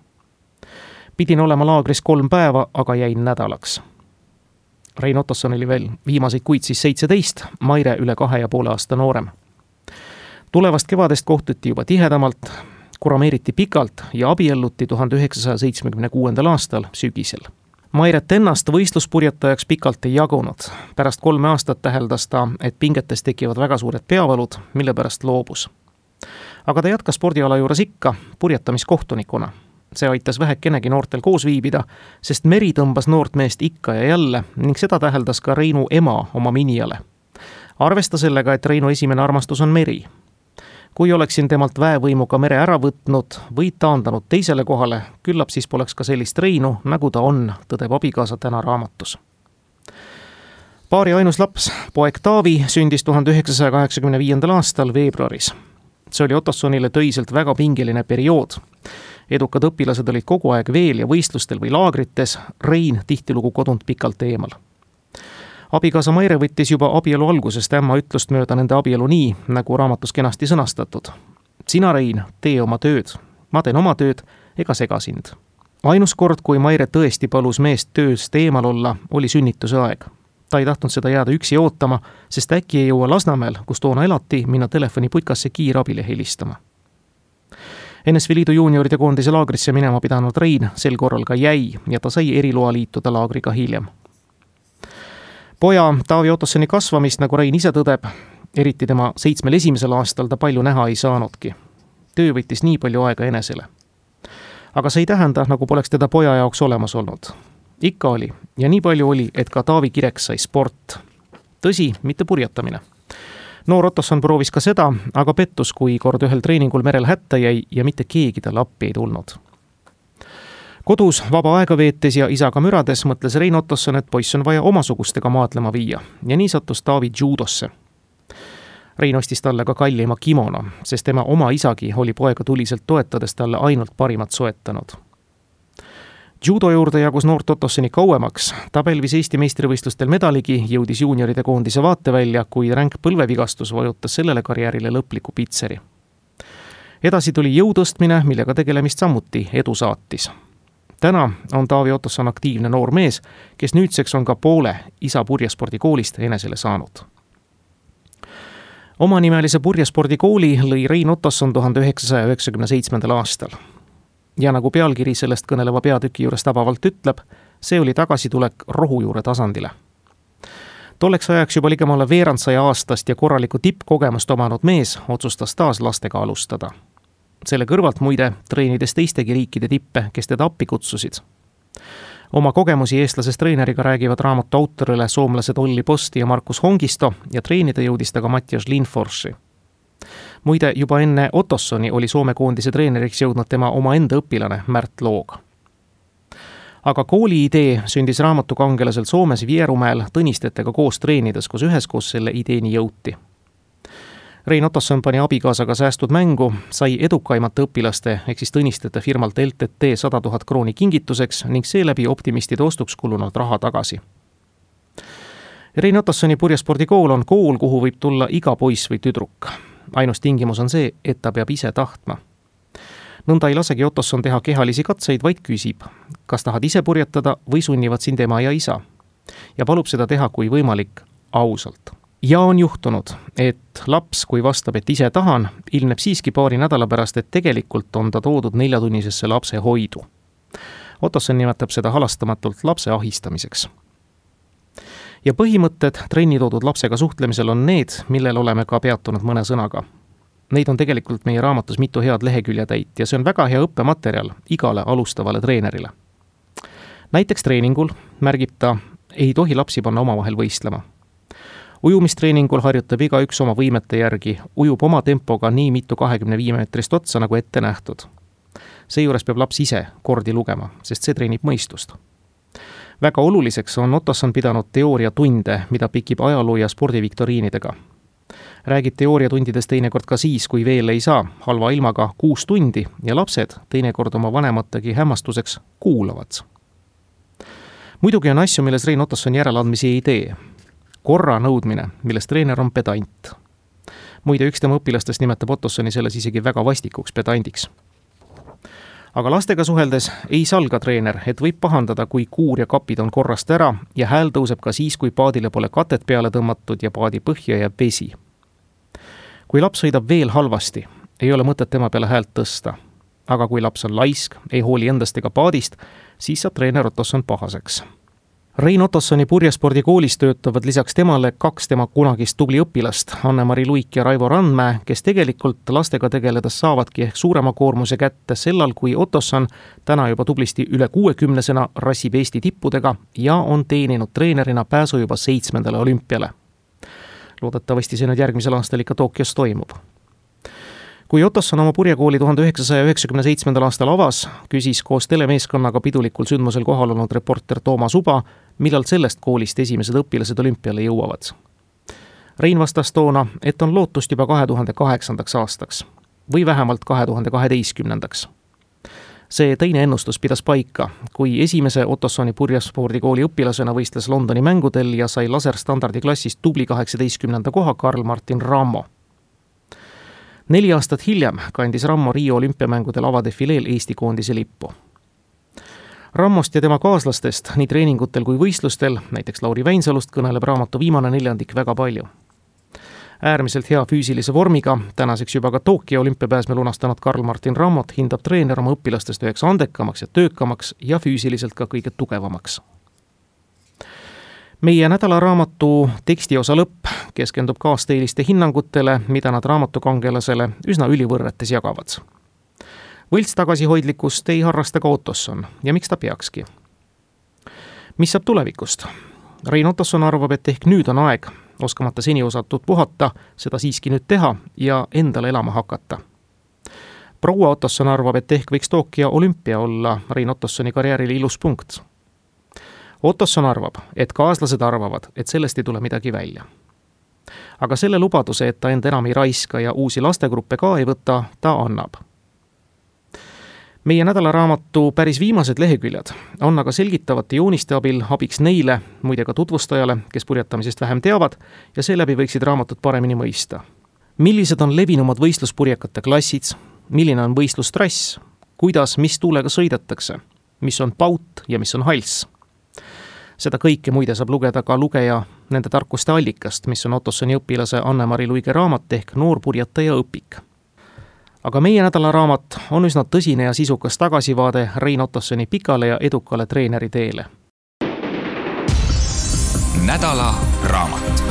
Pidin olema laagris 3 päeva, aga jäin nädalaks. Rein Ottosson oli veel viimaseid kuid siis 17, Maire üle 2,5 aasta noorem. Tulevast kevadest kohtuti juba tihedamalt, kurameeriti pikalt ja abielluti 1976. aastal sügisel. Mairet ennast võistluspurjetajaks pikalt ei jagunud. Pärast 3 aastat täheldas ta, et pingetes tekivad väga suured peavalud, mille pärast loobus. Aga ta jätkas spordiala juures ikka purjetamiskohtunikuna. See aitas vähekenegi noortel koos viibida, sest meri tõmbas noort meest ikka ja jälle ning seda täheldas ka Reinu ema oma minijale. Arvesta sellega, et Reinu esimene armastus on meri. Kui oleksin temalt väevõimuga mere ära võtnud või taandanud teisele kohale, küllap siis poleks ka sellist Reinu, nagu ta on, tõdeb abikaasa täna raamatus. Paari ainus laps, poeg Taavi, sündis 1985. aastal veebruaris. See oli Ottossonile töiselt väga pingeline periood. Edukad õpilased olid kogu aeg veel ja võistlustel või laagrites, Rein tihtilugu kodunt pikalt eemal. Abikaasa Maire võttis juba abielu algusest ämma ütlust mööda nende abielu nii, nagu raamatus kenasti sõnastatud. Sina, Rein, tee oma tööd. Ma teen oma tööd, ega sega sind. Ainus kord, kui Maire tõesti palus meest tööst eemal olla, oli sünnituse aeg. Ta ei tahtnud seda jääda üksi ootama, sest äkki ei jõua Lasnamäel, kus toona elati, minna telefoniputkasse kiirabile helistama. NSV Liidu juunioride koondise laagrisse minema pidanud Rein sel korral ka jäi ja ta sai eriloa liituda laagriga hiljem. Poja Taavi Ottossoni kasvamist, nagu Rein ise tõdeb, eriti tema 71. aastal ta palju näha ei saanudki. Töö võttis nii palju aega enesele. Aga see ei tähenda, nagu poleks teda poja jaoks olemas olnud. Ikka oli ja nii palju oli, et ka Taavi Kirek sai sport. Tõsi, mitte purjetamine. Noor Ottosson proovis ka seda, aga pettus, kui kord ühel treeningul merel hätta jäi ja mitte keegi talle appi ei tulnud. Kodus vaba aega veetes ja isaga mürades mõtles Rein Ottosson, et poiss on vaja omasugustega maadlema viia ja nii sattus Taavi judosse. Rein ostis talle ka kallima kimono, sest tema oma isagi oli poega tuliselt toetades talle ainult parimat soetanud. Judo juurde jagus noort Ottossoni kauemaks, ta pälvis Eesti meistrivõistlustel medaligi, jõudis juunioride koondise vaatevälja, kui ränk põlvevigastus vajutas sellele karjäärile lõpliku pitseri. Edasi tuli jõutõstmine, millega tegelemist samuti edu saatis. Täna on Taavi Ottosson aktiivne noor mees, kes nüüdseks on ka poole isa purjespordikoolist enesele saanud. Omanimelise purjespordikooli lõi Rein Ottosson 1997. aastal. Ja nagu pealkiri sellest kõneleva peatüki juures tabavalt ütleb, see oli tagasitulek rohujuure tasandile. Tolleks ajaks juba ligemale veerandsaja aastast ja korralikku tippkogemust omanud mees otsustas taas lastega alustada. Selle kõrvalt muide treenides teistegi riikide tippe, kes teda appi kutsusid. Oma kogemusi eestlasest treeneriga räägivad raamatu autorile soomlased Olli Posti ja Markus Hongisto ja treenida jõudis ta ka Mattias Lindforsi. Muide, juba enne Ottossoni oli Soome koondise treeneriks jõudnud tema omaenda õpilane Märt Loog. Aga kooli idee sündis raamatu kangelasel Soomes Vierumäel Tõnistetega koos treenides, kus üheskoos selle ideeni jõuti. Rein Ottosson pani abikaasaga säästud mängu, sai edukaimate õpilaste ehk siis Tõnistete firmalt LTT 100 000 krooni kingituseks ning seeläbi optimistide ostuks kulunud raha tagasi. Rein Ottossoni purjespordikool on kool, kuhu võib tulla iga poiss või tüdruk. Ainus tingimus on see, et ta peab ise tahtma. Nõnda ei lasegi Ottosson teha kehalisi katseid, vaid küsib, kas tahad ise purjetada või sunnivad sind ema ja isa. Ja palub seda teha kui võimalik ausalt. Ja on juhtunud, et laps, kui vastab, et ise tahan, ilmneb siiski paari nädala pärast, et tegelikult on ta toodud 4-tunnisesse lapse hoidu. Ottosson nimetab seda halastamatult lapse ahistamiseks. Ja põhimõtted trenni toodud lapsega suhtlemisel on need, millel oleme ka peatunud mõne sõnaga. Neid on tegelikult meie raamatus mitu head leheküljetäit ja see on väga hea õppematerjal igale alustavale treenerile. Näiteks treeningul märgib ta, ei tohi lapsi panna omavahel võistlema. Ujumistreeningul harjutab igaüks oma võimete järgi, ujub oma tempoga nii mitu 25 meetrist otsa nagu ette nähtud. Seejuures peab laps ise kordi lugema, sest see treenib mõistust. Väga oluliseks on Ottosson pidanud teooriatunde, mida pikib ajaloo ja spordiviktoriinidega. Räägib teooriatundides teinekord ka siis, kui veel ei saa, halva ilmaga 6 tundi ja lapsed teinekord oma vanemategi hämmastuseks kuulavad. Muidugi on asju, milles Rein Ottosson järeleandmisi ei tee. Korra nõudmine, milles treener on pedant. Muide, üks tema õpilastest nimetab Ottossoni selles isegi väga vastikuks pedandiks. Aga lastega suheldes ei salga treener, et võib pahandada, kui kuur ja kapid on korrast ära ja hääl tõuseb ka siis, kui paadile pole katet peale tõmmatud ja paadi põhja jääb vesi. Kui laps sõidab veel halvasti, ei ole mõtet tema peale häält tõsta. Aga kui laps on laisk, ei hooli endast ega paadist, siis saab treener Ottosson pahaseks. Rein Ottossoni purjespordikoolis töötavad lisaks temale 2 tema kunagist tubli õpilast, Anne-Mari Luik ja Raivo Randmäe, kes tegelikult lastega tegeledes saavadki ehk suurema koormuse kätte sellal, kui Ottosson täna juba tublisti üle 60-sena rassib Eesti tippudega ja on teeninud treenerina pääsu juba 7. olümpiale. Loodetavasti see nüüd järgmisel aastal ikka Tokyos toimub. Kui Ottosson oma purjekooli 1997. aastal avas, küsis koos telemeeskonnaga pidulikul sündmusel kohal olnud reporter Toomas Uba, millal sellest koolist esimesed õpilased olümpiale jõuavad. Rein vastas toona, et on lootust juba 2008. aastaks või vähemalt 2012. See teine ennustus pidas paika, kui esimese Ottossoni purjespordikooli õpilasena võistles Londoni mängudel ja sai laserstandardi klassis tubli 18. koha Karl Martin Rammo. 4 aastat hiljem kandis Rammo Rio olümpiamängudel avadefileel Eesti koondise lippu. Rammost ja tema kaaslastest nii treeningutel kui võistlustel, näiteks Lauri Väinsalust, kõneleb raamatu viimane 4 väga palju. Äärmiselt hea füüsilise vormiga, tänaseks juba ka Tokyo olümpiapääsme lunastanud Karl Martin Rammot hindab treener oma õpilastest üheks andekamaks ja töökamaks ja füüsiliselt ka kõige tugevamaks. Meie nädalaraamatu tekstiosa lõpp keskendub kaasteeliste hinnangutele, mida nad raamatukangelasele üsna ülivõrretes jagavad. Võlts tagasihoidlikkust ei harrasta ka Ottosson ja miks ta peakski? Mis saab tulevikust? Rein Ottosson arvab, et ehk nüüd on aeg, oskamata seni osatud puhata, seda siiski nüüd teha ja endale elama hakata. Proua Ottosson arvab, et ehk võiks Tokyo olümpia olla Rein Ottossoni karjäärile ilus punkt. Ottosson arvab, et kaaslased arvavad, et sellest ei tule midagi välja. Aga selle lubaduse, et ta enda enam ei raiska ja uusi lastegruppe ka ei võta, ta annab. Meie nädalaraamatu päris viimased leheküljed on aga selgitavate jooniste abil abiks neile, muide ka tutvustajale, kes purjetamisest vähem teavad ja seeläbi võiksid raamatut paremini mõista. Millised on levinumad võistluspurjekate klassid, milline on võistlustrass, kuidas, mis tuulega sõidetakse, mis on paut ja mis on hals. Seda kõike muide saab lugeda ka lugeja nende tarkuste allikast, mis on Ottossoni õpilase Anne-Mari Luige raamat ehk Noorpurjetaja õpik. Aga meie nädalaraamat on üsna tõsine ja sisukas tagasivaade Rein Ottossoni pikale ja edukale treeneri teele. Nädala raamat.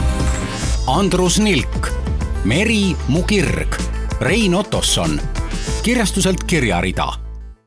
Andrus Nilk, Meri mu kirg, Rein Ottosson, kirjastuselt Kirjarida.